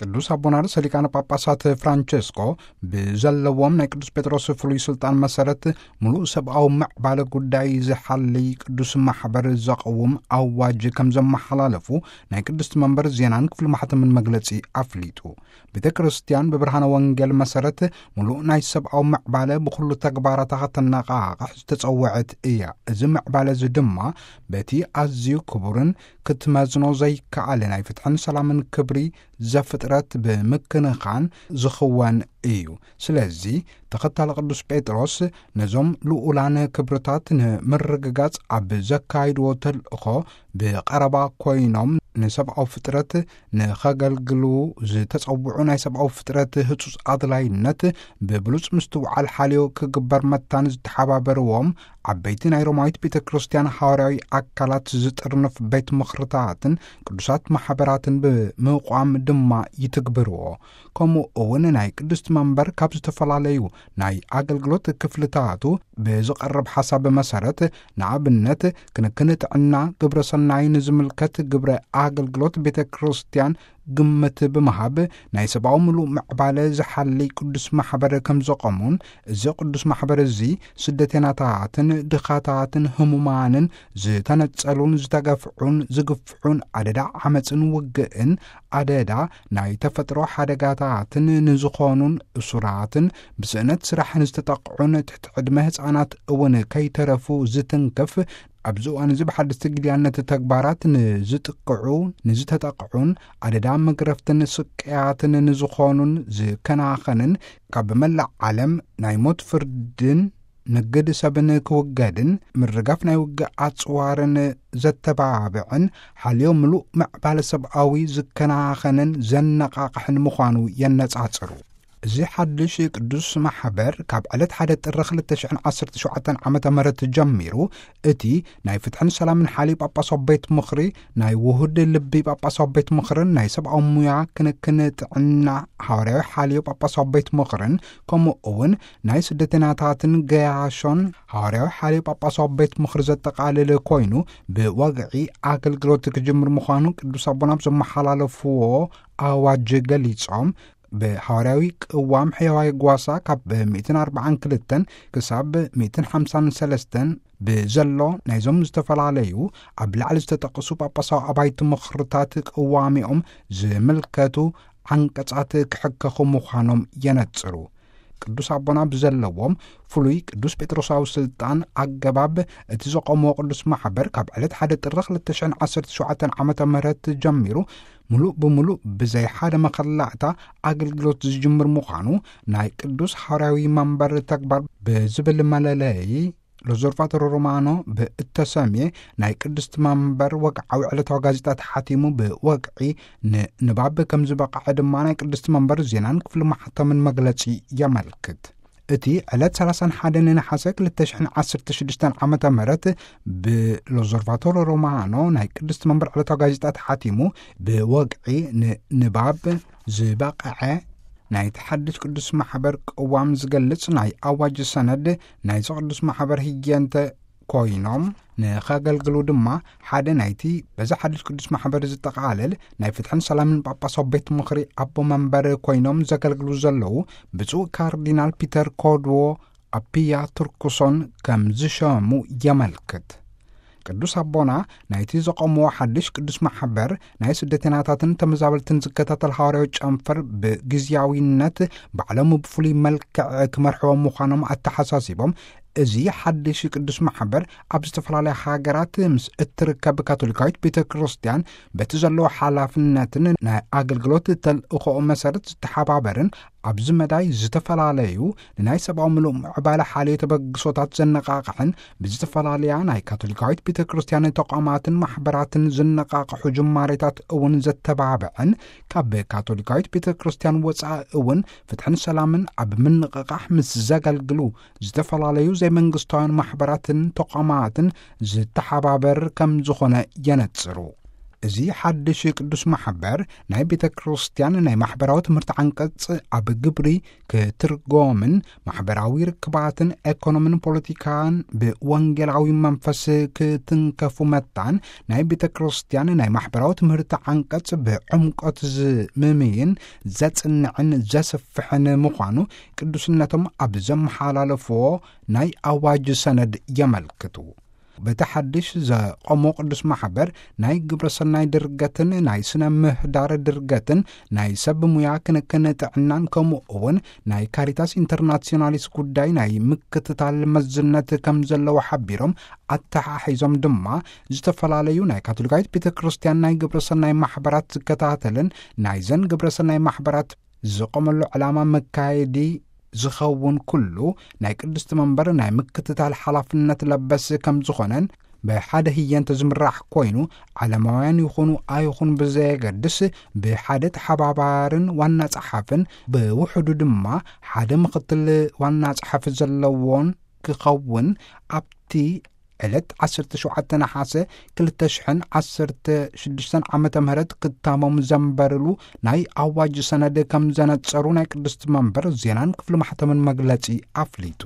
ቅዱስ ኣቦና ርእሰ ሊቃነ ጳጳሳት ፍራንቸስኮ ብዘለዎም ናይ ቅዱስ ጴጥሮስ ፍሉይ ስልጣን መሰረት፣ ምሉእ ሰብኣዊ ምዕባለ ጉዳይ ዝሓልይ ቅዱስ ማሕበር ዘቕውም ኣዋጅ ከም ዘመሓላለፉ ናይ ቅድስቲ መንበር ዜናን ክፍሊ ማሕተምን መግለጺ ኣፍሊጡ። ቤተ ክርስቲያን ብብርሃነ ወንጌል መሰረት፣ ምሉእ ናይ ሰብኣዊ ምዕባለ ብኹሉ ተግባራታ ከተነቓቕሕ ዝተጸውዐት እያ። እዚ ምዕባለ እዚ ድማ በቲ ኣዝዩ ክቡርን ክትመዝኖ ዘይከኣል ናይ ፍትሕን ሰላምን ክብሪ ዘፍጥረት ብምክንኻን ዝኽወን እዩ። ስለዚ ተኸታሊ ቅዱስ ጴጥሮስ ነዞም ልኡላን ክብርታት ንምርግጋጽ ኣብ ዘካይድዎ ተልእኾ ብቐረባ ኮይኖም ንሰብኣዊ ፍጥረት ንኸገልግሉ ዝተጸውዑ ናይ ሰብኣዊ ፍጥረት ህጹጽ ኣድላይነት ብብሉጽ ምስትውዓል ሓልዮ ክግበር መታን ዝተሓባበርዎም ዓበይቲ ናይ ሮማዊት ቤተ ክርስቲያን ሃዋርያዊ ኣካላት ዝጥርንፍ ቤት ምኽርታትን ቅዱሳት ማሕበራትን ብምቋም ድማ ይትግብርዎ። ከምኡ እውን ናይ ቅድስቲ መንበር ካብ ዝተፈላለዩ ናይ ኣገልግሎት ክፍልታቱ ብዝቐርብ ሓሳብ መሰረት፣ ንኣብነት ክንክን ጥዕና፣ ግብረ ሰናይ ንዝምልከት ግብረ ኣገልግሎት ቤተ ክርስቲያን ግምት ብምሃብ ናይ ሰብኣዊ ምሉእ ምዕባለ ዝሓልይ ቅዱስ ማሕበር ከም ዘቆሙን፣ እዚ ቅዱስ ማሕበር እዚ ስደተናታትን ድኻታትን ህሙማንን ዝተነጸሉን ዝተገፍዑን ዝግፍዑን ኣደዳ ዓመጽን ውግእን ኣደዳ ናይ ተፈጥሮ ሓደጋታትን ንዝኾኑን እሱራትን ብስእነት ስራሕ ንዝተጠቕዑን ትሕቲ ዕድመ ህፃናት እውን ከይተረፉ ዝትንክፍ ኣብዚ እዋን እዚ ብሓደስቲ ግልያነት ተግባራት ንዝጥቅዑ ንዝተጠቕዑን ኣደዳ መግረፍትን ስቅያትን ንዝኾኑን ዝከናኸንን ካብ መላእ ዓለም ናይ ሞት ፍርድን ንግድ ሰብን ክውገድን ምርጋፍ ናይ ውግእ ኣጽዋርን ዘተባብዕን ሓልዮ ምሉእ ምዕባለ ሰብኣዊ ዝከናኸንን ዘነቓቕሕን ምዃኑ የነጻጽሩ። እዚ ሓድሽ ቅዱስ ማሕበር ካብ ዕለት ሓደ ጥሪ ክልተ ሽሕን ዓሰርተ ሸውዓተን ዓመተ ምህረት ጀሚሩ እቲ ናይ ፍትሕን ሰላምን ሓልዮ ጳጳሳዊ ቤት ምኽሪ፣ ናይ ውሁድ ልቢ ጳጳሳዊ ቤት ምኽርን ናይ ሰብኣዊ ሙያ ክንክን ጥዕና ሃዋርያዊ ሓልዮ ጳጳሳዊ ቤት ምኽርን ከምኡ እውን ናይ ስደተናታትን ገያሾን ሃዋርያዊ ሓልዮ ጳጳሳዊ ቤት ምኽሪ ዘጠቓልል ኮይኑ ብወግዒ ኣገልግሎት ክጅምር ምዃኑ ቅዱስ ኣቦና ኣብ ዘመሓላለፍዎ ኣዋጅ ገሊጾም፣ ብሃዋርያዊ ቅዋም ሕያዋይ ጓሳ ካብ ሚእትን ኣርባዓን ክልተን ክሳብ ሚእትን ሓምሳን ሰለስተን ብዘሎ ናይዞም ዝተፈላለዩ ኣብ ላዕሊ ዝተጠቕሱ ጳጳሳዊ ኣባይቲ ምኽርታት ቅዋሚኦም ዝምልከቱ ዓንቀጻት ክሕከኹ ምዃኖም የነጽሩ። ቅዱስ ኣቦና ብዘለዎም ፍሉይ ቅዱስ ጴጥሮሳዊ ስልጣን ኣገባብ እቲ ዘቆምዎ ቅዱስ ማሕበር ካብ ዕለት ሓደ ጥሪ ክልተ ሽሕን ዓሰርተ ሸውዓተን ዓመተ ምህረት ጀሚሩ ምሉእ ብምሉእ ብዘይ ሓደ መኸላእታ ኣገልግሎት ዝጅምር ምዃኑ ናይ ቅዱስ ሃዋርያዊ መንበር ተግባር ብዝብል መለለዪ ሎዞርቫቶሮ ሮማኖ ብእተሰምየ ናይ ቅድስቲ መንበር ወግዓዊ ዕለታዊ ጋዜጣ ተሓቲሙ ብወግዒ ንንባብ ከም ዝበቕዐ ድማ ናይ ቅድስቲ መንበር ዜናን ክፍሊ ማሕተምን መግለጺ የመልክት። እቲ ዕለት ሰላሳን ሓደን ነሓሰ ክልተ ሽሕን ዓሰርተ ሽዱሽተን ዓመተ ምህረት ብሎዞርቫቶሮ ሮማኖ ናይ ቅድስቲ መንበር ዕለታዊ ጋዜጣ ተሓቲሙ ብወግዒ ንንባብ ዝበቕዐ ናይቲ ሓድሽ ቅዱስ ማሕበር ቅዋም ዝገልጽ ናይ ኣዋጅ ሰነድ ናይዚ ቅዱስ ማሕበር ህየንተ ኮይኖም ንኸገልግሉ ድማ ሓደ ናይቲ በዚ ሓድሽ ቅዱስ ማሕበር ዝጠቓለል ናይ ፍትሕን ሰላምን ጳጳሳዊ ቤት ምኽሪ ኣቦ መንበር ኮይኖም ዘገልግሉ ዘለዉ ብፁዕ ካርዲናል ፒተር ኮድዎ ኣፒያ ቱርኩሶን ከም ዝሸሙ የመልክት። ቅዱስ ኣቦና ናይቲ ዘቆምዎ ሓድሽ ቅዱስ ማሕበር ናይ ስደተናታትን ተመዛበልትን ዝከታተል ሃዋርያዊ ጨንፈር ብግዝያዊነት ባዕሎም ብፍሉይ መልክዕ ክመርሕዎም ምዃኖም ኣተሓሳሲቦም፣ እዚ ሓድሽ ቅዱስ ማሕበር ኣብ ዝተፈላለያ ሃገራት ምስ እትርከብ ካቶሊካዊት ቤተ ክርስቲያን በቲ ዘለዎ ሓላፍነትን ናይ ኣገልግሎት ተልእኾኡ መሰረት ዝተሓባበርን ኣብዚ መዳይ ዝተፈላለዩ ንናይ ሰብኣዊ ምሉእ ምዕባለ ሓልዮ ተበግሶታት ዘነቓቕሕን ብዝተፈላለያ ናይ ካቶሊካዊት ቤተ ክርስቲያን ተቋማትን ማሕበራትን ዝነቓቕሑ ጅማሬታት እውን ዘተባብዕን ካብ ካቶሊካዊት ቤተ ክርስቲያን ወፃኢ እውን ፍትሕን ሰላምን ኣብ ምንቕቓሕ ምስ ዘገልግሉ ዝተፈላለዩ ዘይመንግስታውያን ማሕበራትን ተቋማትን ዝተሓባበር ከም ዝኾነ የነጽሩ። እዚ ሓድሽ ቅዱስ ማሕበር ናይ ቤተ ክርስቲያን ናይ ማሕበራዊ ትምህርቲ ዓንቀጽ ኣብ ግብሪ ክትርጎምን ማሕበራዊ ርክባትን ኤኮኖምን ፖለቲካን ብወንጌላዊ መንፈስ ክትንከፉ መታን ናይ ቤተ ክርስቲያን ናይ ማሕበራዊ ትምህርቲ ዓንቀጽ ብዕምቆት ዝምምይን ዘጽንዕን ዘስፍሕን ምዃኑ ቅዱስነቶም ኣብ ዘመሓላለፍዎ ናይ ኣዋጅ ሰነድ የመልክቱ። በቲ ሓድሽ ዘቆሞ ቅዱስ ማሕበር ናይ ግብረ ሰናይ ድርገትን ናይ ስነ ምህዳር ድርገትን ናይ ሰብ ሙያ ክንክን ጥዕናን ከምኡ እውን ናይ ካሪታስ ኢንተርናሲዮናሊስ ጉዳይ ናይ ምክትታል መዝነት ከም ዘለዎ ሓቢሮም፣ ኣተሓሒዞም ድማ ዝተፈላለዩ ናይ ካቶሊካዊት ቤተ ክርስቲያን ናይ ግብረ ሰናይ ማሕበራት ዝከታተልን ናይዘን ግብረ ሰናይ ማሕበራት ዝቆመሉ ዕላማ መካየዲ ዝኸውን ኩሉ ናይ ቅድስቲ መንበር ናይ ምክትታል ሓላፍነት ለበስ ከም ዝኾነን፣ ብሓደ ህየንተ ዝምራሕ ኮይኑ ዓለማውያን ይኹኑ ኣይኹን ብዘየገድስ ብሓደ ተሓባባርን ዋና ጸሓፍን ብውሕዱ ድማ ሓደ ምኽትል ዋና ጸሓፊ ዘለዎን ክኸውን ኣብቲ ዕለት ዓሰርተ ሸውዓተ ነሓሰ ክልተ ሽሕን ዓሰርተ ሽዱሽተን ዓመተ ምህረት ክታሞም ዘንበርሉ ናይ ኣዋጅ ሰነድ ከም ዘነጸሩ ናይ ቅድስቲ መንበር ዜናን ክፍሊ ማሕተምን መግለጺ ኣፍሊጡ።